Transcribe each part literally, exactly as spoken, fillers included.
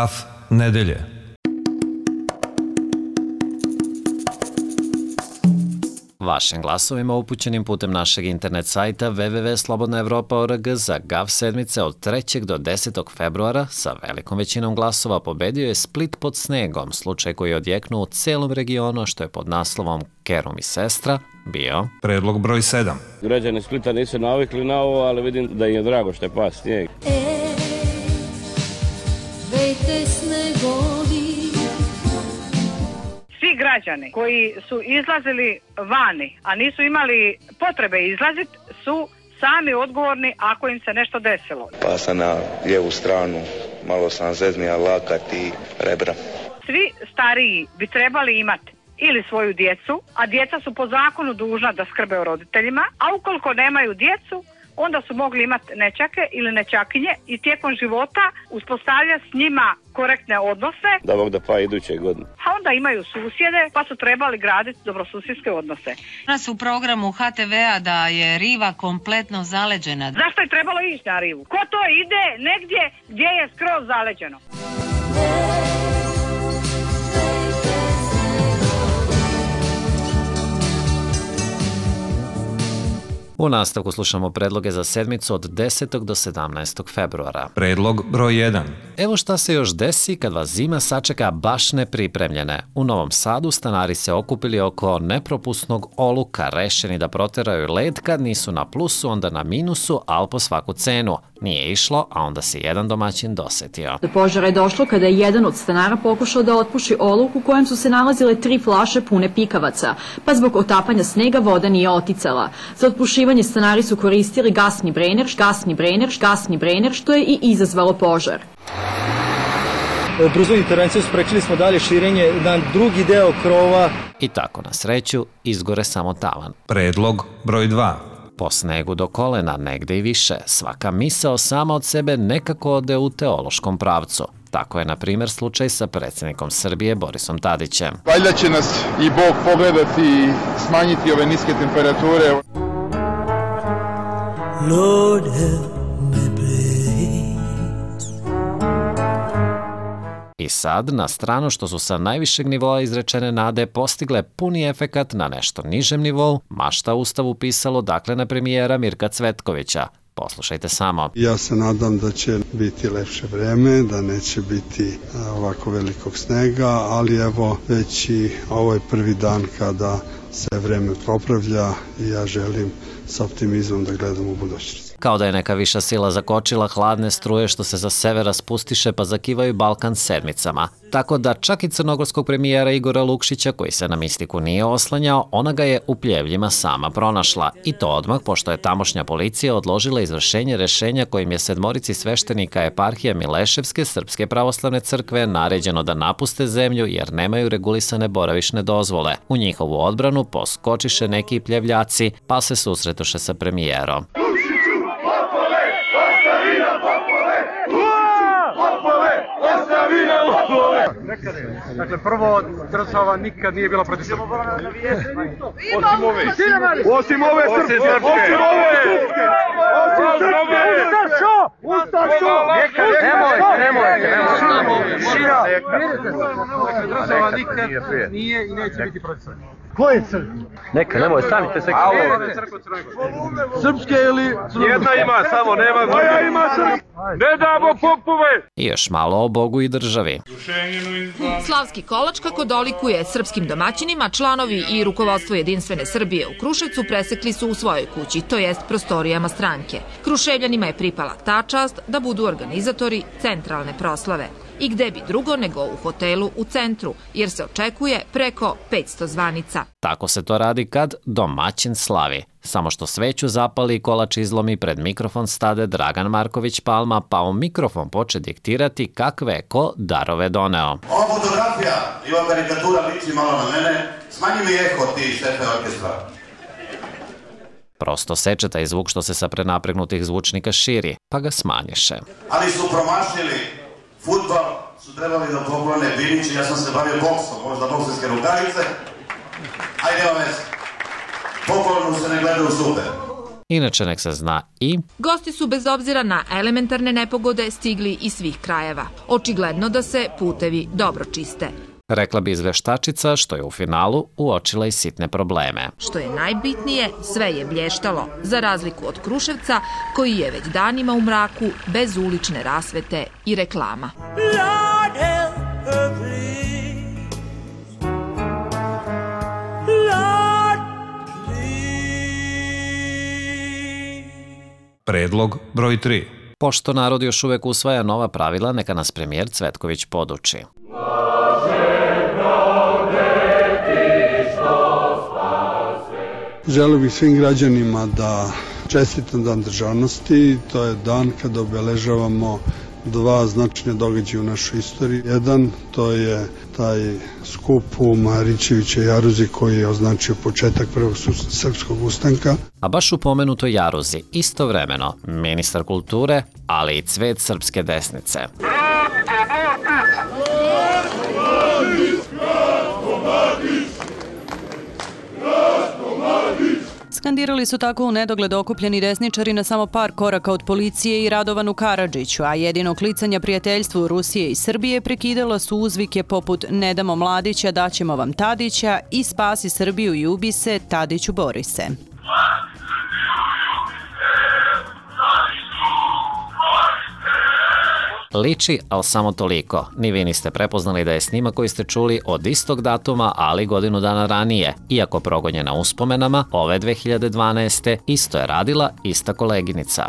Graf nedelje. Vašim glasovima upućenim putem našeg internet sajta w w w tačka slobodna evropa tačka org za Gav sedmice od trećeg do desetog februara sa velikom većinom glasova pobedio je Split pod snegom, slučaj koji je odjeknuo u celom regionu, što je pod naslovom Kerum i sestra bio Predlog broj sedam. Građani Splita nisu navikli na ovo, ali vidim da im je drago što je pas snijeg. E, vejte snegovi. Svi građani koji su izlazili vani, a nisu imali potrebe izlaziti, su sami odgovorni ako im se nešto desilo. Pa sam na lijevu stranu, malo sam zeznija lakat i rebra. Svi stariji bi trebali imati ili svoju djecu, a djeca su po zakonu dužna da skrbe o roditeljima, a ukoliko nemaju djecu, onda su mogli imati nećake ili nećakinje i tijekom života uspostavlja s njima korektne odnose. Da Bog da pa iduće godine. A onda imaju susjede pa su trebali graditi dobrosusjedske odnose. Nas u programu ha te ve a da je riva kompletno zaleđena. Zašto je trebalo ići na rivu? Ko to ide negdje gdje je skroz zaleđeno? U nastavku slušamo predloge za sedmicu od desetog do sedamnaestog februara. Predlog broj jedan. Evo šta se još desi kad vas zima sačeka baš nepripremljene. U Novom Sadu stanari se okupili oko nepropusnog oluka, rešeni da proteraju led kad nisu na plusu, onda na minusu, al po svaku cenu. Nije išlo, a onda se jedan domaćin dosetio. Do požara je došlo kada je jedan od stanara pokušao da otpuši oluk u kojem su se nalazile tri flaše pune pikavaca, pa zbog otapanja snega voda nije oticala. Za otpušivanje stanari su koristili gasni brener, gasni brener, gasni brener, što je i izazvalo požar. Brzo intervenciju sprečili smo dalje širenje na drugi deo krova. I tako na sreću izgore samo tavan. Predlog broj dva. Po snegu do kolena, negde i više, svaka misao sama od sebe nekako ode u teološkom pravcu. Tako je, na primjer, slučaj sa predsjednikom Srbije Borisom Tadićem. Valjda će nas i Bog pogledati i smanjiti ove niske temperature. Lord help me please. I sad, na stranu što su sa najvišeg nivoa izrečene nade postigle puni efekat na nešto nižem nivou, mašta Ustavu pisalo dakle na premijera Mirka Cvetkovića. Poslušajte samo. Ja se nadam da će biti lepše vreme, da neće biti ovako velikog snega, ali evo već i ovo je prvi dan kada se vreme popravlja i ja želim sa optimizmom da gledam u budućnost. Kao da je neka viša sila zakočila hladne struje što se za severa spustiše pa zakivaju Balkan sedmicama. Tako da čak i crnogorskog premijera Igora Lukšića, koji se na mistiku nije oslanjao, ona ga je u Pljevljima sama pronašla. I to odmah pošto je tamošnja policija odložila izvršenje rešenja kojim je sedmorici sveštenika eparhije Mileševske Srpske pravoslavne crkve naređeno da napuste zemlju jer nemaju regulisane boravišne dozvole. U njihovu odbranu poskočiše neki Pljevljaci pa se susretoše sa premijerom. Dakle, prvo, država nikad nije bila protiv Srpske. Osim ove. Osim ove srpske. Osim ove. Osim srpske. Ustašo! Ustašo! Nemoj, nemoj, nemoj. Šira. Dakle, država nikad nije i neće biti protiv Srpske. Koje crkve? Neka, nemoj, stanite se. Srpske ili... Jedna ima, samo nema... Moja ima srpske. Ne damo popove! I još malo o Bogu i državi. Slavski kolač, kako dolikuje srpskim domaćinima, članovi i rukovodstvo Jedinstvene Srbije u Kruševcu presekli su u svojoj kući, to jest prostorijama stranke. Kruševljanima je pripala ta čast da budu organizatori centralne proslave. I gde bi drugo nego u hotelu u centru, jer se očekuje preko petsto zvanica. Tako se to radi kad domaćin slavi. Samo što sveću zapali i kolač izlomi, pred mikrofon stade Dragan Marković Palma, pa u mikrofon poče diktirati kakve je ko darove doneo. Ova fotografija i ova karikatura liči malo na mene, smanji mi eho ti šefe orkestra. Prosto seče taj zvuk što se sa prenapregnutih zvučnika širi, pa ga smanješe. Ali su promašili fudbal, su trebali da poklone Binići, ja sam se bavio boksom, možda bokserske rukavice. Ajde vam već, poklonu se ne gledaju super. Inače nek se zna i... Gosti su bez obzira na elementarne nepogode stigli iz svih krajeva. Očigledno da se putevi dobro čiste. Rekla bi izveštačica što je u finalu uočila i sitne probleme. Što je najbitnije, sve je blještalo, za razliku od Kruševca, koji je već danima u mraku, bez ulične rasvete i reklama. Lord help her, please. Lord, please. Predlog broj tri. Pošto narod još uvek usvaja nova pravila, neka nas premijer Cvetković poduči. Želio bih svim građanima da čestitam Dan državnosti. To je dan kada obeležavamo dva značajne događaja u našoj istoriji. Jedan, to je taj skup u Marićevićevoj jaruzi koji je označio početak prvog srpskog ustanka. A baš u pomenutoj jaruzi, istovremeno, ministar kulture, ali i cvet srpske desnice. Skandirali su tako u nedogled okupljeni desničari na samo par koraka od policije i Radovanu Karadžiću, a jedino klicanja prijateljstvu Rusije i Srbije prekidala su uzvike poput "Ne damo Mladića, daćemo vam Tadića" i "Spasi Srbiju i ubi se, Tadiću bori se". Liči, ali samo toliko. Ni vi niste prepoznali da je snimak koji ste čuli od istog datuma, ali godinu dana ranije. Iako progonjena uspomenama, ove dve hiljade dvanaeste. isto je radila ista koleginica.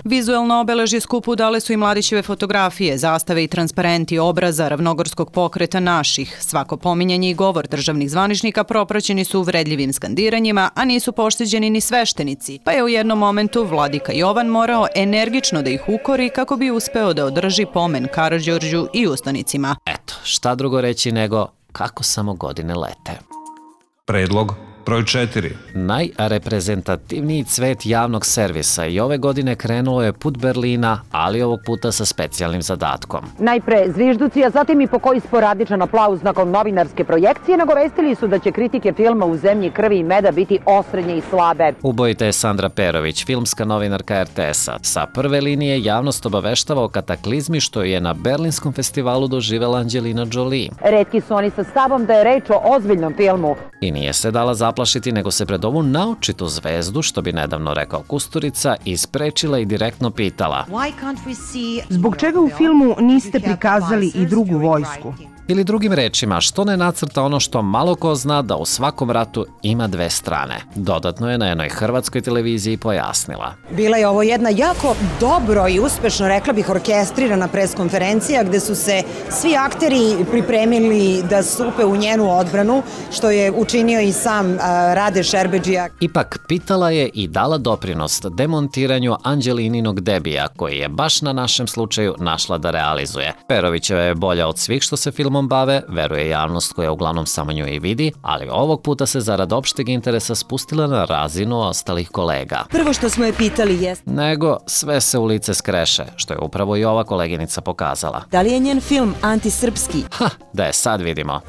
Vizuelno obeležje skupu dale su i Mladićeve fotografije, zastave i transparenti obraza ravnogorskog pokreta naših. Svako pominjanje i govor državnih zvaničnika propraćeni su uvredljivim skandiranjima, a nisu pošteđeni ni sveštenici, pa je u jednom momentu vladika Jovan morao energično da ih ukori kako bi uspeo da održi pomen Karađorđu i ustanicima. Eto, šta drugo reći nego kako samo godine lete. Predlog broj četiri. Najreprezentativniji cvet javnog servisa i ove godine krenulo je put Berlina, ali ovog puta sa specijalnim zadatkom. Najpre zvižduci, a zatim i po koji sporadičan aplauz nakon novinarske projekcije nagovestili su da će kritike filma U zemlji krvi i meda biti osrednje i slabe. Ubojita je Sandra Perović, filmska novinarka er te esa. Sa prve linije javnost obaveštava o kataklizmi što je na Berlinskom festivalu doživela Angelina Jolie. Retki su oni sa stavom da je reč o ozbiljnom filmu. I nije se dala zaplašiti, nego se pred ovu naočitu zvezdu, što bi nedavno rekao Kusturica, isprečila i direktno pitala: Zbog čega u filmu niste prikazali i drugu vojsku? Ili drugim rečima, što ne nacrta ono što malo ko zna da u svakom ratu ima dve strane. Dodatno je na jednoj hrvatskoj televiziji pojasnila. Bila je ovo jedna jako dobro i uspešno, rekla bih, orkestrirana preskonferencija gde su se svi akteri pripremili da stupe u njenu odbranu, što je učinio i sam uh, Rade Šerbedžija. Ipak pitala je i dala doprinost demontiranju Anđelininog debija, koji je baš na našem slučaju našla da realizuje. Perovićeva je bolja od svih što se filmom bave, veruje javnost koja uglavnom samo nju i vidi, ali ovog puta se zarad opšteg interesa spustila na razinu ostalih kolega. Prvo što smo je pitali jest... Nego sve se u lice skreše, što je upravo i ova koleginica pokazala. Da li je njen film antisrpski? Ha, da je sad vidimo.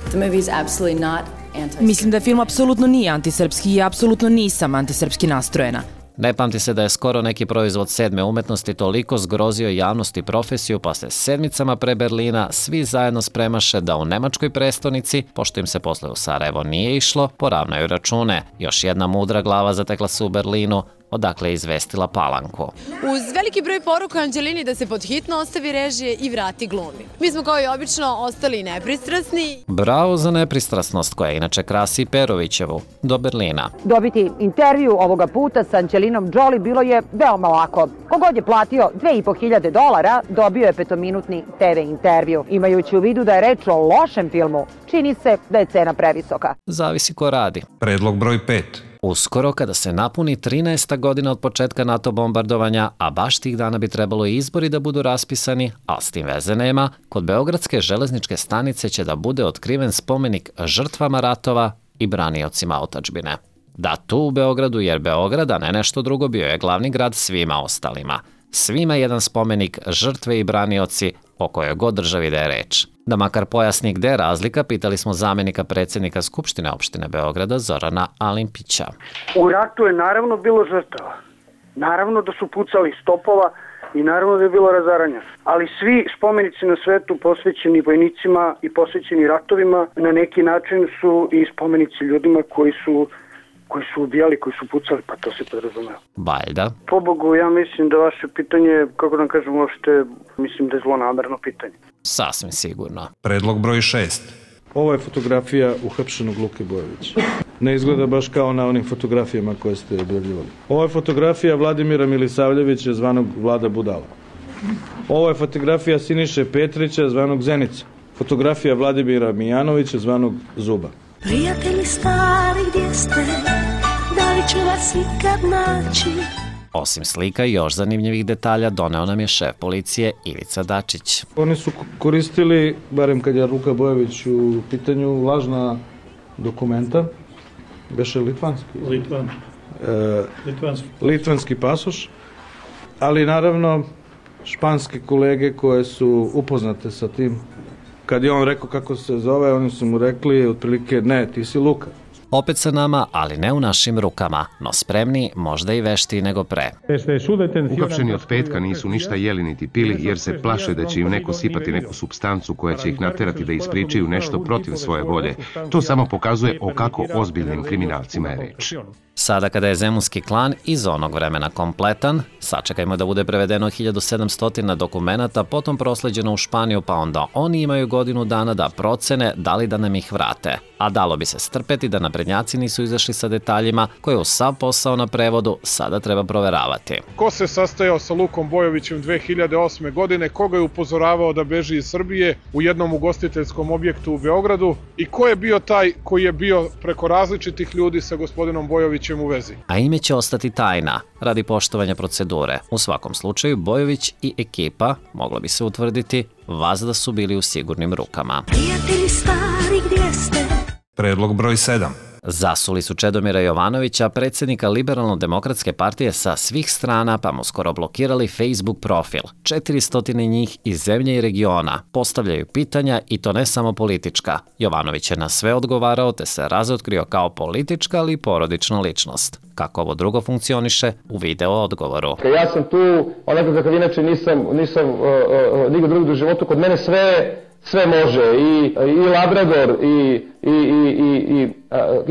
Mislim da film apsolutno nije antisrpski i apsolutno nisam antisrpski nastrojena. Ne pamti se da je skoro neki proizvod sedme umetnosti toliko zgrozio javnost i profesiju, pa se sedmicama pre Berlina svi zajedno spremaše da u nemačkoj prestonici, pošto im se posle u Sarajevo nije išlo, poravnaju račune. Još jedna mudra glava zatekla se u Berlinu, odakle je izvestila Palanku. Uz veliki broj poruka Anđelini da se pod hitno ostavi režije i vrati glumi. Mi smo kao i obično ostali nepristrasni. Bravo za nepristrasnost koja inače krasi Perovićevu. Do Berlina. Dobiti intervju ovoga puta sa Angelinom Jolie bilo je veoma lako. Kogod je platio dve i po hiljade dolara, dobio je petominutni te ve intervju. Imajući u vidu da je reč o lošem filmu, čini se da je cena previsoka. Zavisi ko radi. Predlog broj pet. Uskoro, kada se napuni trinaesta godina od početka NATO bombardovanja, a baš tih dana bi trebalo i izbori da budu raspisani, a s tim veze nema, kod Beogradske železničke stanice će da bude otkriven spomenik žrtvama ratova i braniocima otadžbine. Da, tu u Beogradu, jer Beograd, a ne nešto drugo, bio je glavni grad svima ostalima. Svima jedan spomenik, žrtve i branioci, o kojoj god državi da je reč. Da makar pojasni gde je razlika, pitali smo zamenika predsjednika Skupštine opštine Beograda Zorana Alimpića. U ratu je naravno bilo žrtava. Naravno da su pucali stopova i naravno da je bilo razaranja. Ali svi spomenici na svetu posvećeni vojnicima i posvećeni ratovima na neki način su i spomenici ljudima koji su koji su ubijali, koji su pucali, pa to se podrazumeva. Valjda. Pobogu, ja mislim da vaše pitanje, kako da kažem uopšte, mislim da je zlonamerno pitanje. Sasvim sigurno. Predlog broj šest. Ovo je fotografija uhapšenog Luke Bojovića. Ne izgleda baš kao na onim fotografijama koje ste objavljivali. Ovo je fotografija Vladimira Milisavljevića, zvanog Vlada Budala. Ovo je fotografija Siniše Petrića, zvanog Zenica. Fotografija Vladimira Mijanovića, zvanog Zuba. Prijatelji stari, gdje ste? Da li ću vas ikad naći? Osim slika i još zanimljivih detalja doneo nam je šef policije Ivica Dačić. Oni su koristili, barem kad je Luka Bojović u pitanju, lažna dokumenta. Beše litvanski? Litvan. E, litvanski. Litvanski pasoš. Ali naravno španske kolege koje su upoznate sa tim. Kad je on rekao kako se zove, oni su mu rekli otprilike ne, ti si Luka. Opet sa nama, ali ne u našim rukama, no spremni, možda i veštiji nego pre. Uhapšeni od petka nisu ništa jeli niti pili jer se plaše da će im neko sipati neku supstancu koja će ih naterati da ispričaju nešto protiv svoje volje. To samo pokazuje o kako ozbiljnim kriminalcima je reč. Sada kada je zemunski klan iz onog vremena kompletan, sačekajmo da bude prevedeno hiljadu sedamsto dokumenata, potom prosleđeno u Španiju, pa onda oni imaju godinu dana da procene da li da nam ih vrate. A dalo bi se strpeti da naprednjaci nisu izašli sa detaljima koje u sav posao na prevodu sada treba proveravati. Ko se sastajao sa Lukom Bojovićem dve hiljade osme godine, koga je upozoravao da beži iz Srbije u jednom ugostiteljskom objektu u Beogradu i ko je bio taj koji je bio preko različitih ljudi sa gospodinom Bojovićem u vezi. A ime će ostati tajna, radi poštovanja procedure. U svakom slučaju, Bojović i ekipa, moglo bi se utvrditi, vazda su bili u sigurnim rukama. Prijatelji stari, gdje ste? Predlog broj sedam. Zasuli su Čedomira Jovanovića, predsjednika Liberalno-demokratske partije sa svih strana, pa mu skoro blokirali Facebook profil. četiristo njih iz zemlje i regiona postavljaju pitanja i to ne samo politička. Jovanović je na sve odgovarao te se razotkrio kao politička ali i porodična ličnost. Kako ovo drugo funkcioniše, u video odgovoru. Ja sam tu, onako kakav inače nisam, nisam uh, uh, nigod drugog u životu, kod mene sve sve može, i, i Labrador, i, i, i, i, i,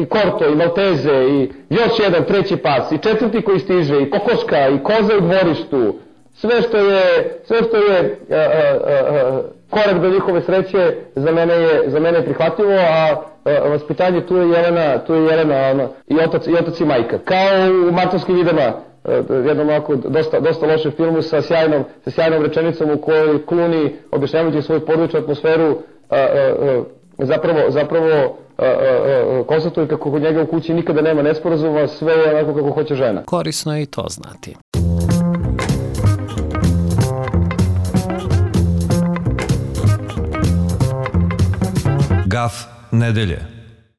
i Korto, i Malteze, i još jedan, treći pas, i četvrti koji stiže, i kokoška, i koza u dvorištu, sve što je, sve što je a, a, a, korak do njihove sreće za mene je, za mene je prihvatljivo, a, a vaspitanje tu je Jelena, tu je Jelena ono, i, otac, i otac i majka. Kao u Martovskim vidama, jednom ovako dosta, dosta lošem filmu sa sjajnom, sa sjajnom rečenicom u kojoj Clooney, objašnjavajući svoju porodičnu atmosferu, a, a, a, zapravo, zapravo a, a, a, konstatuje kako kod njega u kući nikada nema nesporazuma, sve je onako kako hoće žena. Korisno je i to znati. Gaf nedelje.